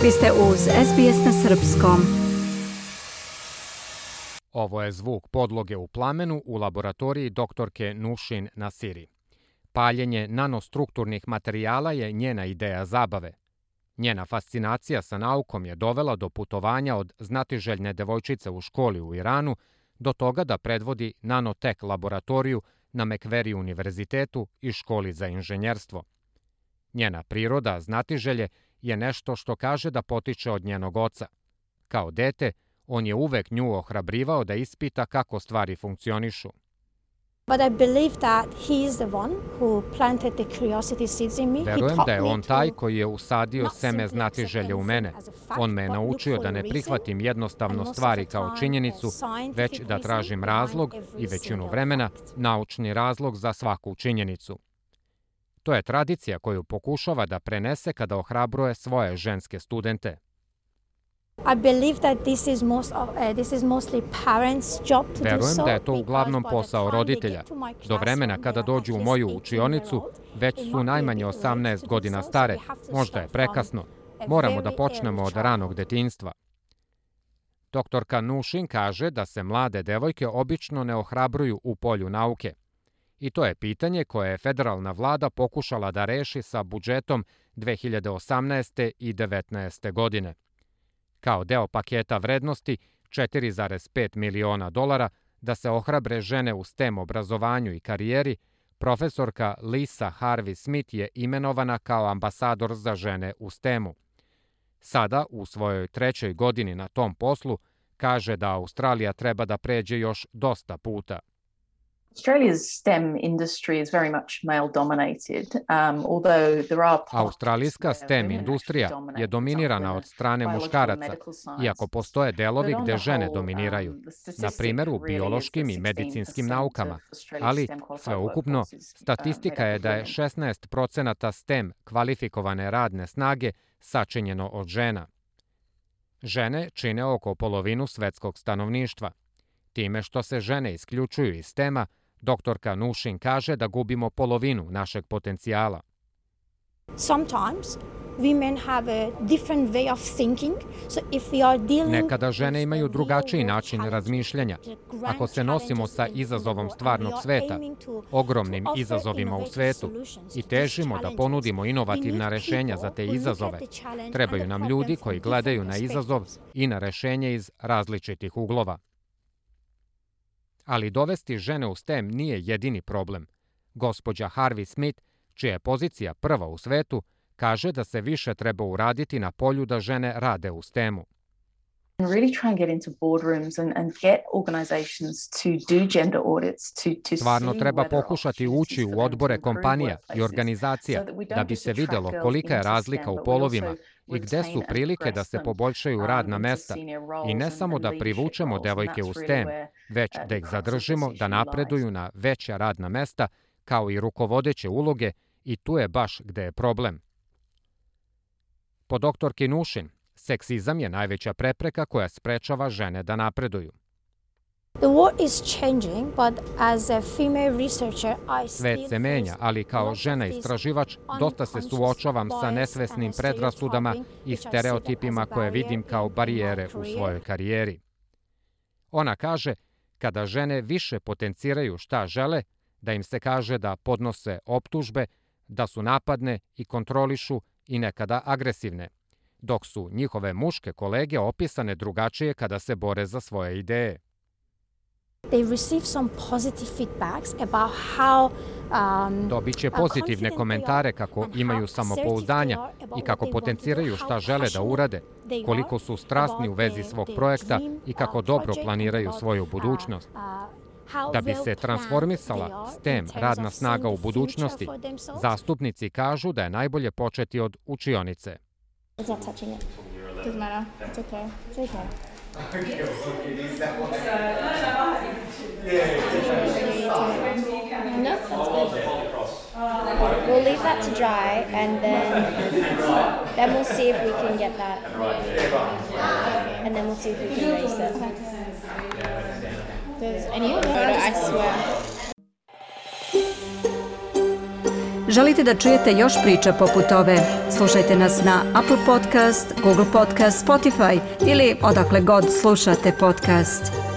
Vi ste uz SBS na srpskom. Ovo je zvuk podloge u plamenu u laboratoriji doktorke Nušin Nasiri. Paljenje nanostrukturnih materijala je njena ideja zabave. Njena fascinacija sa naukom je dovela do putovanja od znatiželjne devojčice u školi u Iranu do toga da predvodi nanotek laboratoriju na Mekveri univerzitetu i školi za inženjerstvo. Njena priroda, znatiželje, je nešto što kaže da potiče od njenog oca. Kao dete, on je uvek nju ohrabrivao da ispita kako stvari funkcionišu. Verujem da je on taj koji je usadio seme znatiželje u mene. On me je naučio da ne prihvatim jednostavno stvari kao činjenicu, već da tražim razlog i većinu vremena naučni razlog za svaku činjenicu. To je tradicija koju pokušava da prenese kada ohrabruje svoje ženske studente. Verujem da je to uglavnom posao roditelja. Do vremena kada dođu u moju učionicu, već su najmanje 18 godina stare, možda je prekasno. Moramo da počnemo od ranog detinjstva. Doktorka Nušin kaže da se mlade devojke obično ne ohrabruju u polju nauke. I to je pitanje koje je federalna vlada pokušala da reši sa budžetom 2018. i 2019. godine. Kao deo paketa vrednosti $4,5 miliona da se ohrabre žene u STEM obrazovanju i karijeri, profesorka Lisa Harvey Smith je imenovana kao ambasador za žene u STEM-u. Sada, u svojoj 3. godini na tom poslu, kaže da Australija treba da pređe još dosta puta. Australijska STEM industrija je dominirana od strane muškaraca, iako postoje delovi gde žene dominiraju, na primjer u biološkim i medicinskim naukama, ali sveukupno statistika je da je 16% STEM kvalifikovane radne snage sačinjeno od žena. Žene čine oko polovinu svetskog stanovništva. Time što se žene isključuju iz STEM-a, doktorka Nušin kaže da gubimo polovinu našeg potencijala. Nekada žene imaju drugačiji način razmišljanja. Ako se nosimo sa izazovom stvarnog sveta, ogromnim izazovima u svetu, i težimo da ponudimo inovativna rešenja za te izazove, trebaju nam ljudi koji gledaju na izazov i na rešenje iz različitih uglova. Ali dovesti žene u STEM nije jedini problem. Gospođa Harvey Smith, čija je pozicija prva u svetu, kaže da se više treba uraditi na polju da žene rade u STEM-u. Stvarno treba pokušati ući u odbore kompanija i organizacija da bi se videlo kolika je razlika u polovima i gde su prilike da se poboljšaju radna mesta i ne samo da privučemo devojke u STEM, već da ih zadržimo da napreduju na veća radna mesta kao i rukovodeće uloge, i tu je baš gde je problem. Po doktorki Nušin, seksizam je najveća prepreka koja sprečava žene da napreduju. Svet se menja, ali kao žena istraživač dosta se suočavam sa nesvesnim predrasudama i stereotipima koje vidim kao barijere u svojoj karijeri. Ona kaže, kada žene više potenciraju šta žele, da im se kaže da podnose optužbe, da su napadne i kontrolišu i nekada agresivne, dok su njihove muške kolege opisane drugačije kada se bore za svoje ideje. Dobit će pozitivne komentare kako imaju samopouzdanja i kako potenciraju šta žele da urade, koliko su strasni u vezi svog projekta i kako dobro planiraju svoju budućnost. Da bi se transformisala STEM radna snaga u budućnosti, zastupnici kažu da je najbolje početi od učionice. We'll leave that to dry and then we'll see if we can get that. And then we'll see if we can raise it. There's any other photo, I swear. Želite da čujete još priča poput ove? Slušajte nas na Apple Podcast, Google Podcast, Spotify ili odakle god slušate podcast.